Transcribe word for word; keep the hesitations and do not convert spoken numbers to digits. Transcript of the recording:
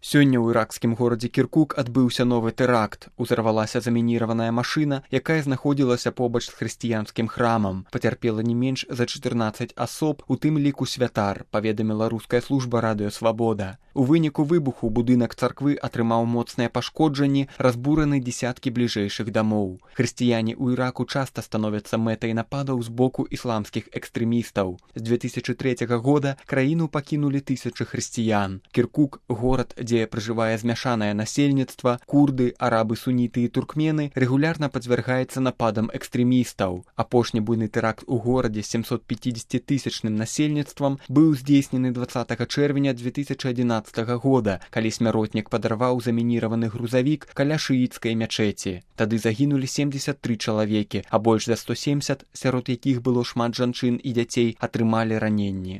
Сёння ў іракскім горадзе Кіркук адбыўся новы тэракт. Узарвалася замініраваная машына, якая знаходзілася побач з хрысціянскім храмам. Пацярпела не менш за чатырнаццаць асоб, у тым ліку святар, паведаміла руская служба радыё Свабода. У выніку выбуху будынак царквы атрымаў моцныя пашкоджанні, разбураны дзесяткі бліжэйшых дамоў. Хрысціяне ў Іраку часта становяцца мэтай нападаў з боку ісламскіх экстрэмістаў. З две тысячы трэцяга года краіну пакінулі тысячы хрысціян. Кіркук, горад, дзе пражывае змяшанае насельніцтва, курды, арабы, суніты і туркмены, рэгулярна падвяргаецца нападам экстрэмістаў. Апошні буйны тэракт у горадзе з сямсотпяцідзесяцітысячным насельніцтвам быў здзейснены дваццатага чэрвеня две тысячы адзінаццатага года, калі смяротнік падарваў замініраваны грузавік каля шыіцкай мячэці. Тады загінулі семдзесят тры чалавекі, а больш за сто семдзесят, сярод якіх было шмат жанчын і дзяцей, атрымалі раненні.